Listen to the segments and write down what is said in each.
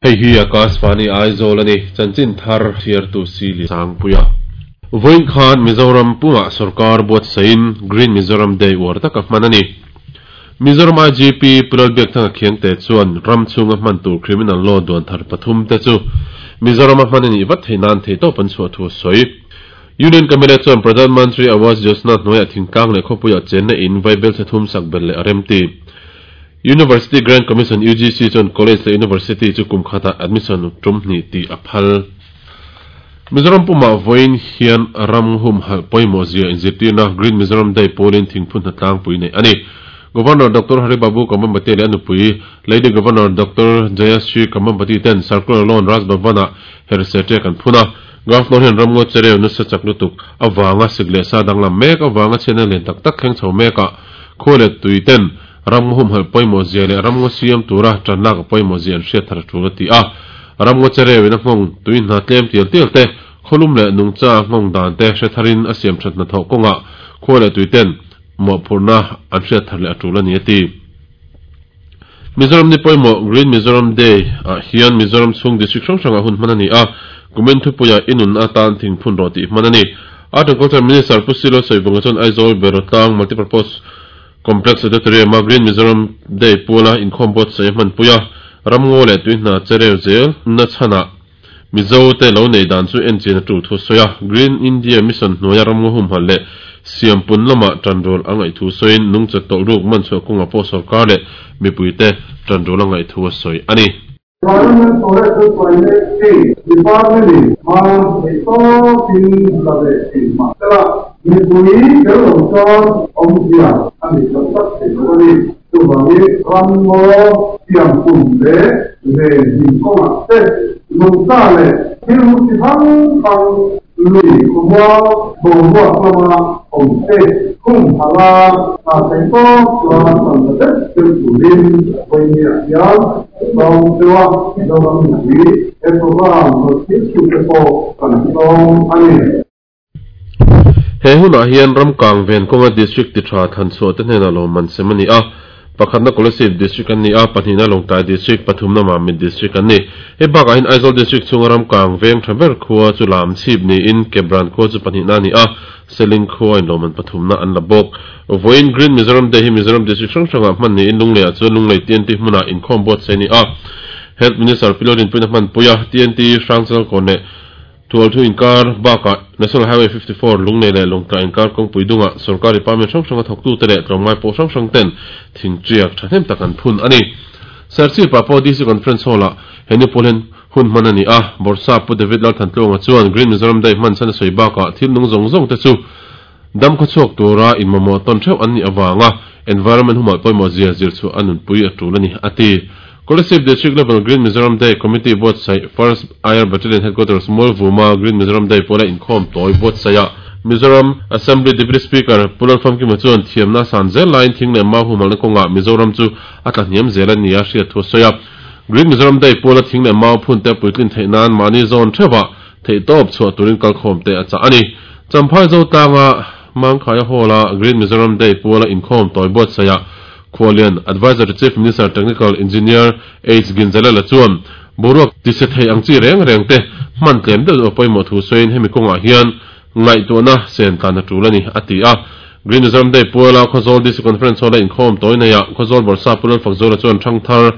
Hei hi Akashvani Aizawl a ni, chanchin thar chhiartu Sili Sangpuia. Vawiin khan Mizoram pumah sorkar buatsaihin Green Mizoram Day uar taka hman a ni. Mizoram IGP Pu Lalbiakthanga Khiangte chuan ram chhunga hman tur criminal law duan thar pathum te chu Mizorama hman a nih vat theih nan theihtawp an chhuah thu a sawi. Union Cabinet chuan Pradhan Mantri Awas Yojana hnuaiah thingtlang leh khawpuiah chenna in vaibel chhe thum sak belh leh a remti. University Grant Commission, UGC, chuan college leh university chu kum khatah admission tum hnih tih a phal. Mizoram pumah vawiin hian ram humhalh pawimawh zia inzirtirna Green Mizoram Day pawlin thingphun hna tlangpui neih a ni. Governor Doctor Hari Babu Kambhampati leh a nupui Lady Governor Doctor Jayashree Kambhampati ten Circular Lawn Raj Bhavan-ah herhse ṭek an phun a. Governor hian ramngaw chereu nasa chak lutuk avanga sik leh sa danglam mek avanga chhiatna lian tak tak thleng chho mekah khua leh tui ten Ramngaw humhalh pawimawh zia leh ramngaw siam tura tan lak a pawimawh zia an hriat thar a tul a ti a. Ramngaw chereu in a nghawng tui hna tlem tial tial te, khawlum leh nungcha nghawng dan te hre tharin a siam that hnathawh kawngah khua leh tui ten mawhphurhna an hriat thar leh a tul a ni a ti. Mizoram ni pawimawh Green Mizoram Day ah hian Mizoram chhung district hrang hrangah hun hman a ni a, kumin thupuiah i nun atan thingphun rawh tih hman a ni. Art and Culture Minister Pu Silo Sawivunga chuan Aizawl Berotlang Multipurpose Complex Auditorium-a Green Mizoram Day puala inkhawm buatsaih a hmanpui a, ramngaw leh tuihna chereu zel na chhanah Mizo te lo neih dan chu enchian a tul thu a sawi a. Green India Mission hnuaia ramngaw humhalh leh siampun lamah tanrual a ngaih thu sawiin nungcha tawlh ruk manchhuah kawngah pawh sorkar leh mipuite tanrual a ngaih thu a sawi a ni. Environment Forest chu Climate Change Department in hma theih tawkin la ve thin mah sela, mipui tel lo chuan awmzia a nei tak tak thei lo a ni. Chuvangin ramngaw siampun leh venhim kawngah te, nungcha leh thil hmu chi hrang hrang lui khawmual boruak lama awm te khumhalh a hna theih tawk chuan tan ta deuh deuh turin vawinia hian Sawm deuha Mizoram mipui he program rawn thil chhut te pawh kan sawm a ni. He hunah hian Ramkang ven kawnga District ti tha thlanchhuah te hnenah lawmman sem a ni a. Pakhatna Kolasib District an ni a, pahnihna Lawngtlai District, pathumna Mamit District an ni. Hei bakah hian Aizawl District chhunga Ramkang veng tha ber khua chu Lamchhip niin Kebran khua chu pahnihna a ni a, Seling khua in lawmman pathumna an la bawk. Vawiin Green Mizoram Day hi Mizoram District hrang hrangah hman niin Lungleiah chuan Lunglei TNT hmunah inkhawm buatsaih a ni a. Health Minister Pi Lalrinpuiin a hmanpui a, TNT Hrangchalkawn leh Tualthu inkar bakah National Highway 54 Lunglei leh Lawngtlai inkar kawngpui dungah sorkar department hrang hranga thawktute leh tlawmngai pawh hrang hrang ten thingtiak thahnem tak an phun a ni. Serchhip ah pawh DC Conference Hall-ah he ni pawl hian Hun hman a ni a, Bawrhsap Pu David Lalthantluanga chuan Green Mizoram Day hman chhan a sawi bakah thil nung zawng zawng te chu dam khawchhuak tura inmamawh tawn theuh an nih avanga environment humhalh pawimawh zia zir chhuah a nunpui a tul a ni, a ti. Kolasib District Level Green Mizoram Day Committee buatsaih First Air Battalion Headquarters Mualvuma Green Mizoram Day pawla inkhawm tawi buatsaihah Mizoram Assembly Deputy Speaker Pu Lalfamkima chuan thiamna a san zel laiin thing leh mau humhalhna kawngah Mizoram chu a tlahniam zel a ni a hriat thu a sawi a. Green Mizoram Day puala thing leh mau phun te puitlin theih nan mahni zawn theuhah theihtawp chhuah turin kalkhawm te a chah a ni. Champhai Zotlanga Mangkhaia Hall-a Green Mizoram Day puala inkhawm tawi buatsaihah Khualian Adviser to Chief Minister Technical Engineer H Ginzalela chuan boruak tise thei ang chi reng reng te hman tlem deuh deuh a pawimawh thu sawiin hemi kawngah hian ngaihtuahna sen tlan a tul a ni, a ti a. Green Mizoram Day puala Khawzawl DC Conference Hall-a inkhawm tawi neiah Khawzawl Bawrhsa Pu Lalfakzuala chuan Thangthar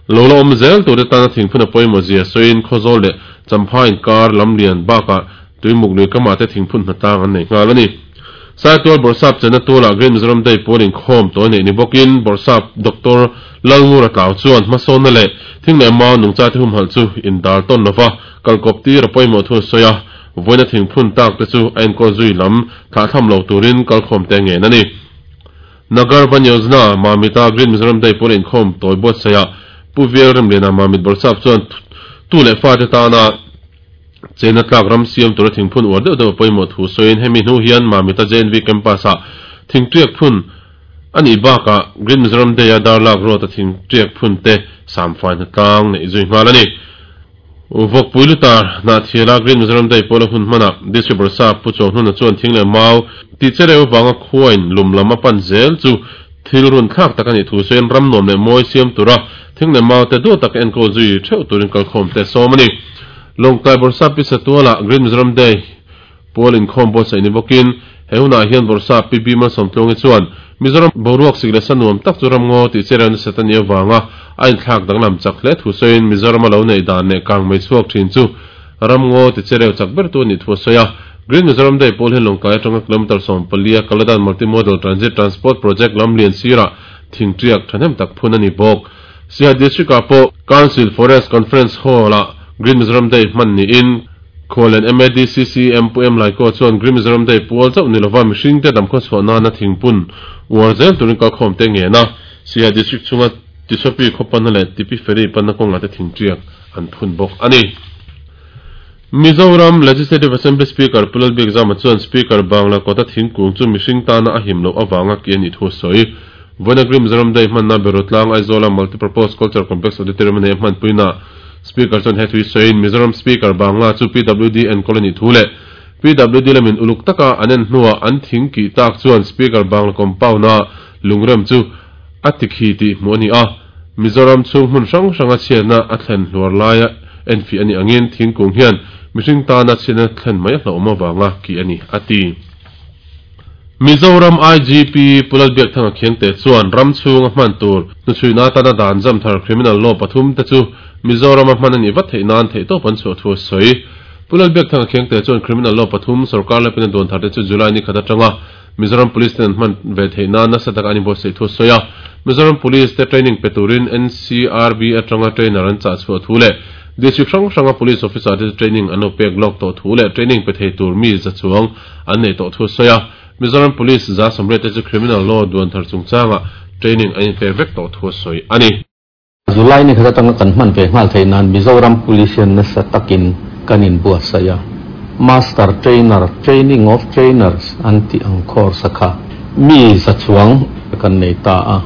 lo la awm zel turte tana thingphun a pawimawh zia sawiin Khawzawl leh Champha inkar lamlian bakah Tuimuk lui kamah te thingphun hnatlang an nei nghal a ni. Saitual Bawrhsap chenna tualah Green Mizoram Day pual inkhawm tawi neih ni bawkin Bawrhsap Doctor Lalngura Tlau chuan hmasawnna leh thing leh mau nungchate humhalh chu indal tawn lova kalkawp tir a pawimawh thu a sawi a. Vawiina thingphun tak te chu a enkawl zui lam thlahthlam lo turin kalkhawm te ngen a ni. Nagar Van Yojana Mamita Green Mizoram Day pawla inkhawm tawi buatsaihah Pu Vial Remliana Mamit Bawrhsap chuan tu leh fate tana chena tlak ram siam tura thingphun uar deuh deuh a pawimawh thu sawiin hemi hnu hian Mamita JNV Campus-ah thingtiak phun a nih bakah Green Mizoram Day-a darlak road-a thingtiak phun te samfai hnatlang neih zui nghal a ni. Vawkpui lutar Hnahthiala Green Mizoram Day pawla hun hmanah District Bawrhsap Pu Chawnghnuna chuan thing leh mau tih chereu vanga khuain lum lam a pan zel chu Thil runthlak tak a nih thu sawiin ram nuam leh mawi siam tura thing leh mau te duat taka enkawl zui theuh turin kalkhawm te a sawm a ni. Lawngtlai Bawrhsap Pi Satuala Green Mizoram Day pual inkhawm buatsaih ni bawkin he hunah hian Bawrhsap Pi Bima Sawmtluangi chuan Mizoram boruak sik leh sa nuam tak chu ramngaw tih chereu nasat a nih avanga a inthlak danglam chak hle thu sawiin Mizoram a lo neih dan leh kang mei chhuak thin chu Ramngaw ti chereu chak bertu a nih thu a sawi a. Green Mizoram Day pawl hian Lawngtlai atanga kilometre 14 a Kaladan Multi-Modal Transit Transport Project lam lian sirah thingtiak thahnem tak phun a ni bawk. Siaha District ah pawh Council Forest Conference Hall ah Green Mizoram Day hman niin Khuallian MADCCM Pu M Laiko chuan Green Mizoram Day pual chauh ni lova mihringte damkhaw chhuah nana thingpun uar zel turin kalkhawm te ngen a. Siaha District chhunga Tisopi khaw panna leh Tipi Ferry panna kawngah te thingtiak an phun bawk a ni. Mizoram Legislative Assembly Speaker Pu Lalbiakzama chuan Speaker Bangla kawta thingkung chu mihring tana a him loh avanga ki a nih thu a sawi. Vawiina Mizoram Day hmanna Berutlang Aizawla Multipurpose Culture Complex Auditorium a nei a hmanpuinaah Speaker chuan he thu hi sawiin Mizoram Speaker Bangla chu PWD enkawl a nih thu leh PWD lamin uluk taka an en hnuah an thing kih tak chuan Speaker Bangla compound-a lungrem chu a tikhi tih hmuh a ni a. Mizoram chhung hmun hrang hranga chhiatna a thlen hluar laia enfiah a nih angin thingkung hian mihring tana chhiatna thlen mai a hlauhawm avanga kih a ni, a ti. Mizoram IGP Pu Lalbiakthanga Khiangte chuan ram chhunga hman tur hnuchhuina atana dan zam thar criminal law pathum te chu Mizorama hman a nih vat theih nan theihtawp an chhuah thu a sawi. Pu Lalbiakthanga Khiangte chuan criminal law pathum sorkar lepin a duan thar te chu July ni khat atanga Mizoram Police ten an hman ve theih nan nasa taka an inbuatsaih thu a sawi a. Mizoram Police te training pe turin NCRB atanga trainer an chah chhuah thu leh District hrang hranga Police Officer te chu training an lo pek lawk tawh thu leh training pe thei tur mi za chuang an nei tawh thu a sawi a. Mizoram Police 180 te chu Criminal Law duan thar chungchangah training an inpek vek tawh thu a sawi a ni. July ni khat atanga kan hman ve nghal theih nan Mizoram Police hian nasa takin kan inbuatsaih a. Master Trainer, Training of Trainers an tih ang course a kha mi za chuang kan nei ta a.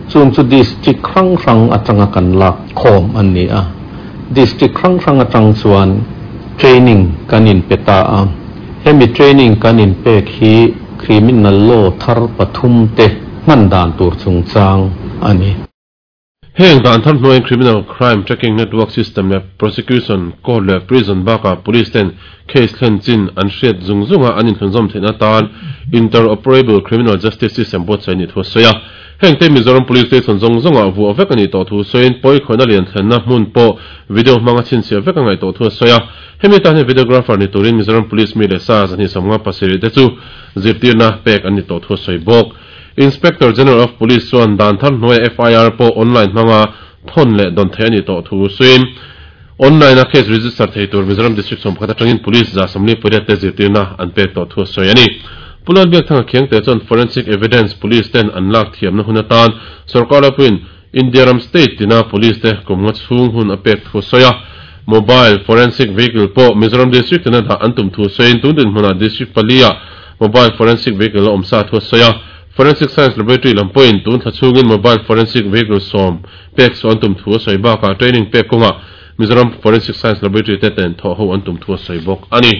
Chung chu District hrang hrang atanga kan lak khawm an ni a. District hrang hrang atang chuan training kan inpe ta a. Hemi training kan inpek hi Criminal Law thar pathum te hman dan tur chungchang a ni. Heng dan thar hnuaiin Criminal Crime Tracking Network System leh Prosecution, Court leh Prison bakah Police ten case thlen chin an hriat zung zunga an inthlunzawm theihna atan Interoperable Criminal Justice System buatsaih a nih thu a sawi a. Heng te Mizoram Police Station zawng zawngah vuah vek a nih tawh thu sawiin pawikhawihna lian thlenna hmun pawh video hmanga chhinchhiah vek a ngaih tawh thu a sawi a. Hemi tan hian videographer ni turin Mizoram Police mi leh sa 257 te chu zirtirna pek an ni tawh thu a sawi bawk. Inspector General of Police chuan dan thar hnuaia FIR pawh online hmanga thawn leh dawn theih a nih tawh thu sawiin, online a case register thei tur Mizoram District 11 atangin Police 148 te zirtirna an pek tawh thu a sawi a ni. Pu Lalbiakthanga Khiangte chuan Forensic Evidence Police ten an lak thiamna hun atan sorkar lapuiin India ram state tina Police te kum nga chhung hun a pek thu a sawi a. Mobile Forensic Vehicle pawh Mizoram District tina dah an tum thu sawiin tun dinhmunah District pali ah Mobile Forensic Vehicle a awm sa thu a sawi a. Forensic Science Laboratory lam pawhin tun thla chhungin Mobile Forensic Vehicle sawm pek saw an tum thu a sawi bakah training pek kawngah Mizoram Forensic Science Laboratory te ten thawh ho an tum thu a sawi bawk a ni.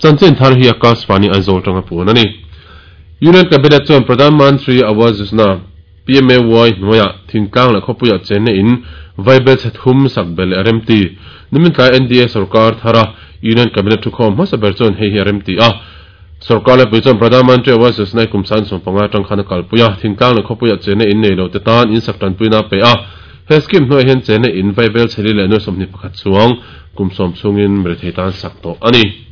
Chanchin thar hi Akashvani Aizawl tanga puan a ni. Union Cabinet chuan Pradhan Mantri Awas Yojana, PMAY, hnuaiah thingtlang leh khawpuiah chenna in vaibel chhe thum sak belh leh a remti. Nimin tlai NDA sorkar thara Union Cabinet thukhawm hmasa ber chuan hei hi a remti a. Sorkar lepui chuan Pradhan Mantri Awas Yojana kum 15 atang khan a kalpui a, thingtlang leh khawpuiah chenna in nei lo te tan in sak tanpuina a pe a. He scheme hnuaiah hian chenna in vaibel chheli leh 21 chuang kum sawm chhungin mirethei tan sak tawh a ni.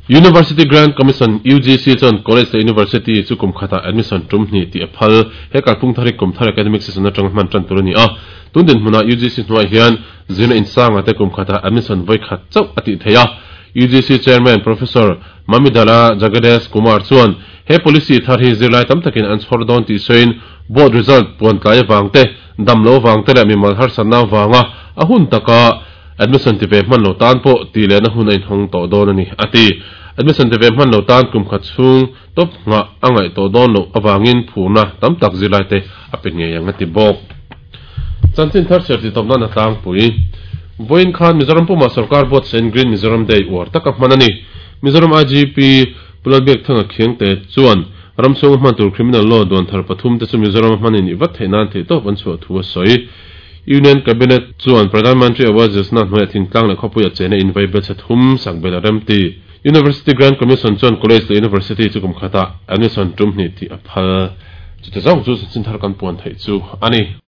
University Grant Commission, UGC, chuan College leh University chu kum khatah admission tum hnih tih a phal. He kalphung thar hi kum thar academic session atanga hman tan tur a ni a. Tun dinhmunah UGC hnuaiah hian zirna insanga te kum khatah admission vawi khat chauh a tih theih a. UGC Chairman Professor Mamidala Jagadesh Kumar chuan he policy thar hi zirlai tam takin an chhawr dawn tih sawiin board result puan tlai avang te, dam lo avang te leh mimal harsatna avanga a hun taka Admission ti ve hman lo tan pawh tih lehna hun a inhawng tawh dawn a ni, a ti. Admission ti ve hman lo tan kum khat chhung tawp nghah a ngaih tawh dawn loh avangin phurna tam tak zirlaite a pe ngei ang a ti bawk. Chanchin thar chhiar tih tawp nan a tlangpui. Vawiin khan Mizoram pumah sorkar buatsahin Green Mizoram Day uar taka hman a ni. Mizoram IGP Pu Lalbiakthanga Khiangte chuan. Ram chhunga hman tur Criminal Law duan thar pathum te chu Mizoram a hman in nih vat theih nan theihtawp an chhuah thu a sawi. Union Cabinet chuan Pradhan Mantri Awas Yojana hnuaiah thingtlang leh khawpuia chena in vai belchhe thum sak belh a rem ti. University Grant Commission chuan College leh University chu kum khatah admission tum hnih tih a phal. Chute zawng chu chanchin thar kan puan theih chu a ni.